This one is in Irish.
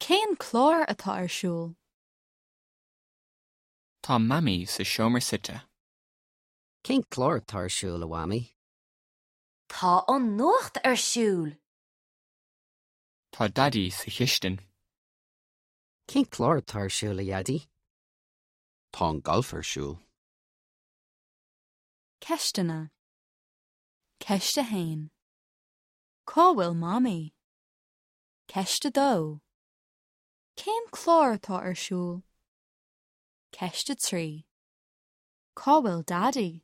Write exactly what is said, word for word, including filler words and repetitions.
Cén clár atá ar siúl? Tá Mamaí sa seomra suite. Cén clár atá ar siúl a Mhamaí? Tá an nuacht ar siúl. Tá Daidí sa chistin. Cén clár atá ar siúl a Dhaidí? Tá an galf ar siúl. Ceisteanna. Ceist a haon. Cá bhfuil Mamaí? Ceist a dó. Cén clár atá ar siúl? Ceist a trí. Cá bhfuil Daidí?